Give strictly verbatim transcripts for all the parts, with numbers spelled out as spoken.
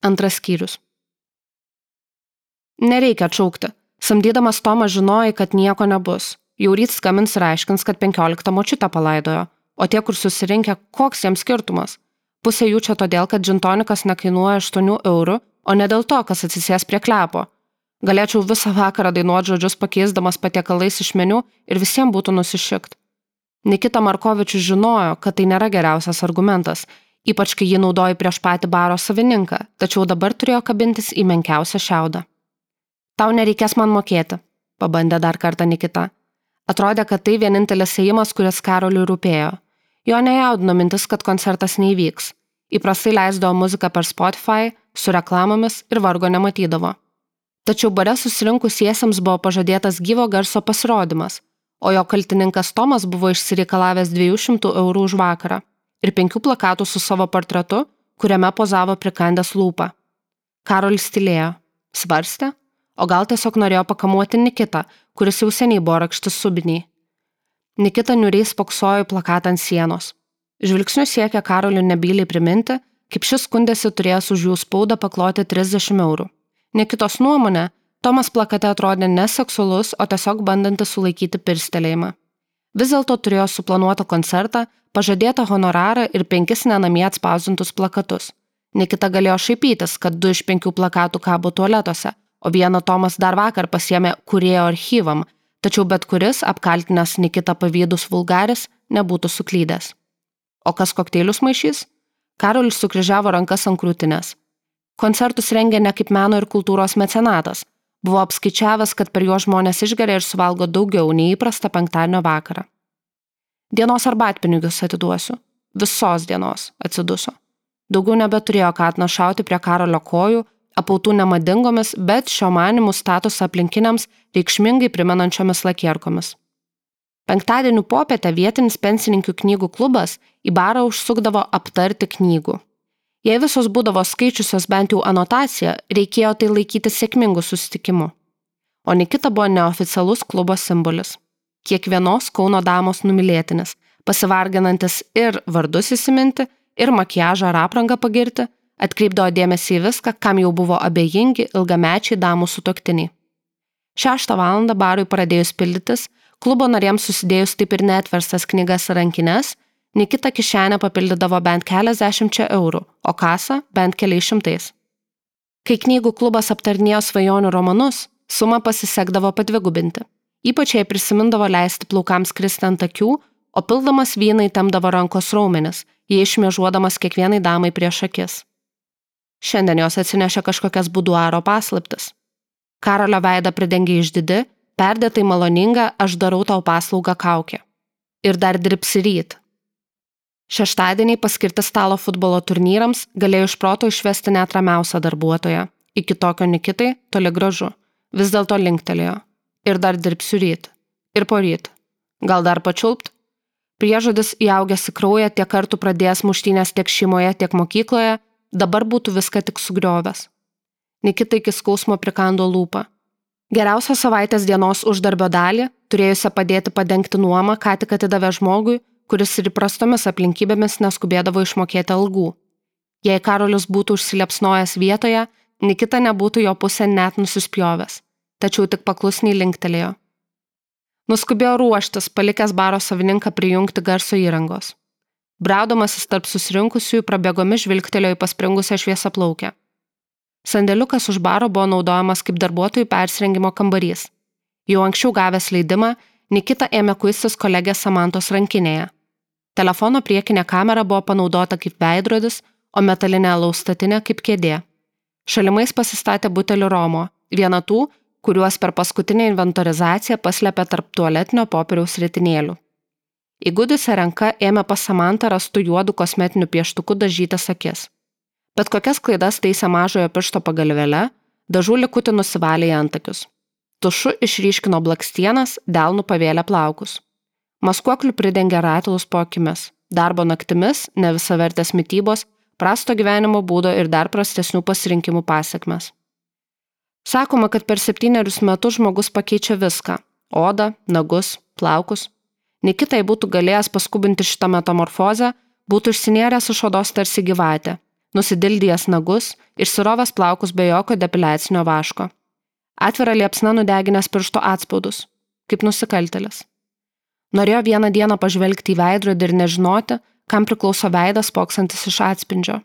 Antras skyrius. Nereikia atšaukti. Samdydamas Tomą žinojai, kad nieko nebus. Jau ryt skambins ir aiškins, kad penkioliktą močiutę palaidojo. O tie, kur susirinkę, koks jiems skirtumas? Pusė jų čia todėl, kad džintonikas nekainuoja aštuonių eurų, o ne dėl to, kas atsisės prie klepo. Galėčiau visą vakarą dainuoti žodžius pakeisdamas patiekalais iš meniu ir visiems būtų nusišikt. Nikita Markovičius žinojo, kad tai nėra geriausias argumentas, ypač kai jį naudoji prieš patį baro savininką, tačiau dabar turėjo kabintis į menkiausią šiaudą. Tau nereikės man mokėti, pabandė dar kartą Nikita. Atrodė, kad tai vienintelis ėjimas, kuris Karoliui rūpėjo. Jo nejaudino mintis, kad koncertas neįvyks. Įprastai leisdavo muziką per Spotify, su reklamomis ir vargo nematydavo. Tačiau bare susirinkusiesiems buvo pažadėtas gyvo garso pasirodymas, o jo kaltininkas Tomas buvo išsireikalavęs dviejų šimtų eurų už vakarą ir penkių plakatų su savo portretu, kuriame pozavo prikandęs lūpą. Karolis tylėjo, svarstė, o gal tiesiog norėjo pakamuoti Nikitą, kuris jau seniai buvo rakštis subiniai. Nikita niuriai spoksojo į plakatą ant sienos. Žvilgsniu siekė Karoliui nebyliai priminti, kaip šis skundėsi turėjęs už jų spaudą pakloti trisdešimt eurų. Nikitos nuomonė, Tomas plakate atrodė neseksualus, o tiesiog bandantis sulaikyti pirstelėjimą. Vis dėlto turėjo suplanuotą koncertą, pažadėtą honorarą ir penkis nenamie atspausdintus plakatus. Nikita galėjo šaipytis, kad du iš penkių plakatų kabo tualetuose, o vieną Tomas dar vakar pasiėmė kūrėjo archyvam, tačiau bet kuris, apkaltinęs Nikitą pavydus vulgaris, nebūtų suklydęs. O kas kokteilius maišys? Karolis sukryžiavo rankas ant krūtinės. Koncertus rengė ne kaip meno ir kultūros mecenatas. Buvo apskaičiavęs, kad per juos žmonės išgeria ir suvalgo daugiau nei įprasta penktadienio vakarą. Dienos arbatpinigius atiduosiu. Visos dienos, atsiduso. Daugiau nebeturėjo ką atnašauti prie Karolio kojų, apautų nemadingomis, bet šio manimų statusą aplinkiniams reikšmingai primenančiomis lakierkomis. Penktadienių popietę vietinis pensininkių knygų klubas į barą užsukdavo aptarti knygų. Jei visos būdavo skaičiusios bent jau anotaciją, reikėjo tai laikyti sėkmingų susitikimų. O Nikita buvo neoficialus klubo simbolis. Kiekvienos Kauno damos numylėtinis, pasivarginantis ir vardus įsiminti, ir makiažą ar aprangą pagirti, atkreipdavo dėmesį į viską, kam jau buvo abejingi ilgamečiai damų sutuoktiniai. Šeštą valandą barui pradėjus pildytis, klubo narėms susidėjus taip ir neatverstas knygas ir rankines, Nikita kišenę papildydavo bent keliasdešimčia eurų, o kasą bent keliais šimtais. Kai knygų klubas aptarnėjo svajonių romanus, sumą pasisekdavo padvigubinti. Ypač jai prisimindavo leisti plaukams kristi ant akių, o pildamas vyną įtempdavo rankos raumenis, jie išmiežuodamas kiekvienai damai prieš akis. Šiandien jos atsinešė kažkokias buduaro paslaptis. Karolio veidą pridengė išdidi, perdėtai maloninga, aš darau tau paslaugą kaukė. Ir dar dirbsi ryt. Šeštadieniai paskirti stalo futbolo turnyrams galėjo iš proto išvesti net ramiausią darbuotoją. Iki tokio Nikitai toli gražu. Vis dėlto linktelėjo. Ir dar dirbsiu ryt. Ir poryt. Gal dar pačiulpt? Priežodis įaugęs į kraują tiek kartų pradėjęs muštynės tiek šeimoje, tiek mokykloje, dabar būtų viską tik sugriovęs. Nikita iki skausmo prikando lūpą. Geriausios savaitės dienos uždarbio dalį, turėjusią padėti padengti nuomą, ką tik atidavė žmogui, kuris ir įprastomis aplinkybėmis neskubėdavo išmokėti algų. Jei Karolis būtų užsiliepsnojęs vietoje, Nikita nebūtų jo pusę net nusispjovęs, tačiau tik paklusniai linktelėjo. Nuskubėjo ruoštis, palikęs baro savininką prijungti garso įrangos. Braudamasis tarp susirinkusiųjų prabėgomis žvilgtelėjo į paspringusią šviesaplaukę. Sandėliukas už baro buvo naudojamas kaip darbuotojų persirengimo kambarys. Jau anksčiau gavęs leidimą, Nikita ėmė kuistis kolegės Samantos rankinėje. Telefono priekinė kamera buvo panaudota kaip veidrodis, o metalinė alaus statinė kaip kėdė. Šalimais pasistatė butelį romo, vieną tų, kuriuos per paskutinę inventorizaciją paslėpė tarp tualetinio popieriaus ritinėlių. Įgudusią ranką ėmė pas Samantą rastų juodų kosmetinių pieštukų dažytas akis. Bet kokias klaidas taisė mažojo piršto pagalvėle, dažų likutį nusivalė į antakius. Tušu išryškino blakstienas, delnų pavėlė plaukus. Maskuoklių pridengė ratilus po akimis, darbo naktimis, nevisavertės mitybos, prasto gyvenimo būdo ir dar prastesnių pasirinkimų pasekmes. Sakoma, kad per septynerius metus žmogus pakeičia viską – odą, nagus, plaukus. Nikitai būtų galėjęs paskubinti šitą metamorfozę, būtų išsinėręs iš odos tarsi gyvatė, nusidildijęs nagus ir sirovęs plaukus be jokio depiliacinio vaško. Atvira liepsna nudeginęs piršto atspaudus, kaip nusikaltėlis. Norėjo vieną dieną pažvelgti į veidrodį ir nežinoti, kam priklauso veidas spoksantis iš atspindžio.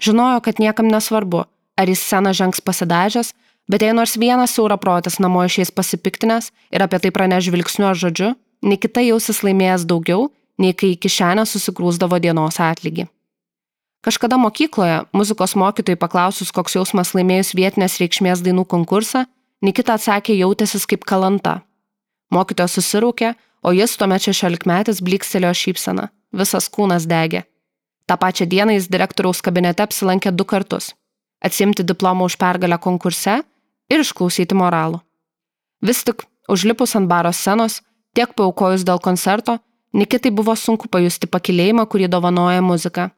Žinojo, kad niekam nesvarbu, ar į sceną žengs pasidažęs, bet jei nors vienas siauraprotis namo išeis pasipiktinęs ir apie tai praneš žvilgsniu ar žodžiu, nei kita jausis laimėjęs daugiau, nei kai į kišenę susigrūsdavo dienos atlygį. Kažkada mokykloje, muzikos mokytojai paklausus, koks jausmas laimėjus vietinės reikšmės dainų konkursą, Nikita atsakė jautęsis kaip kalanta. Mokytojas susiraukė, o jis tuomet šešiolikmetis blykstelėjo šypseną. Visas kūnas degė. Ta pačią dieną jis direktoriaus kabinete apsilankė du kartus. Atsiimti diplomą už pergalę konkurse ir išklausyti moralų. Vis tik, užlipus ant baro scenos, tiek paaukojus dėl koncerto, Nikitai buvo sunku pajusti pakilėjimą, kurį dovanoja muzika.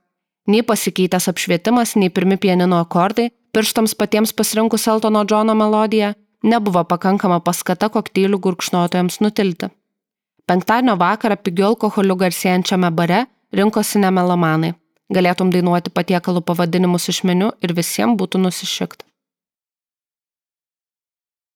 Nei pasikeitęs apšvietimas, nei pirmi pianino akordai, pirštams patiems pasirinkus Eltono Džono melodiją, nebuvo pakankama paskata kokteilių gurkšnotojams nutilti. Penktadienio vakarą pigiu alkoholiu garsėjančiame bare rinkosi ne melomanai. Galėtum dainuoti patiekalų pavadinimus iš meniu ir visiems būtų nusišikta.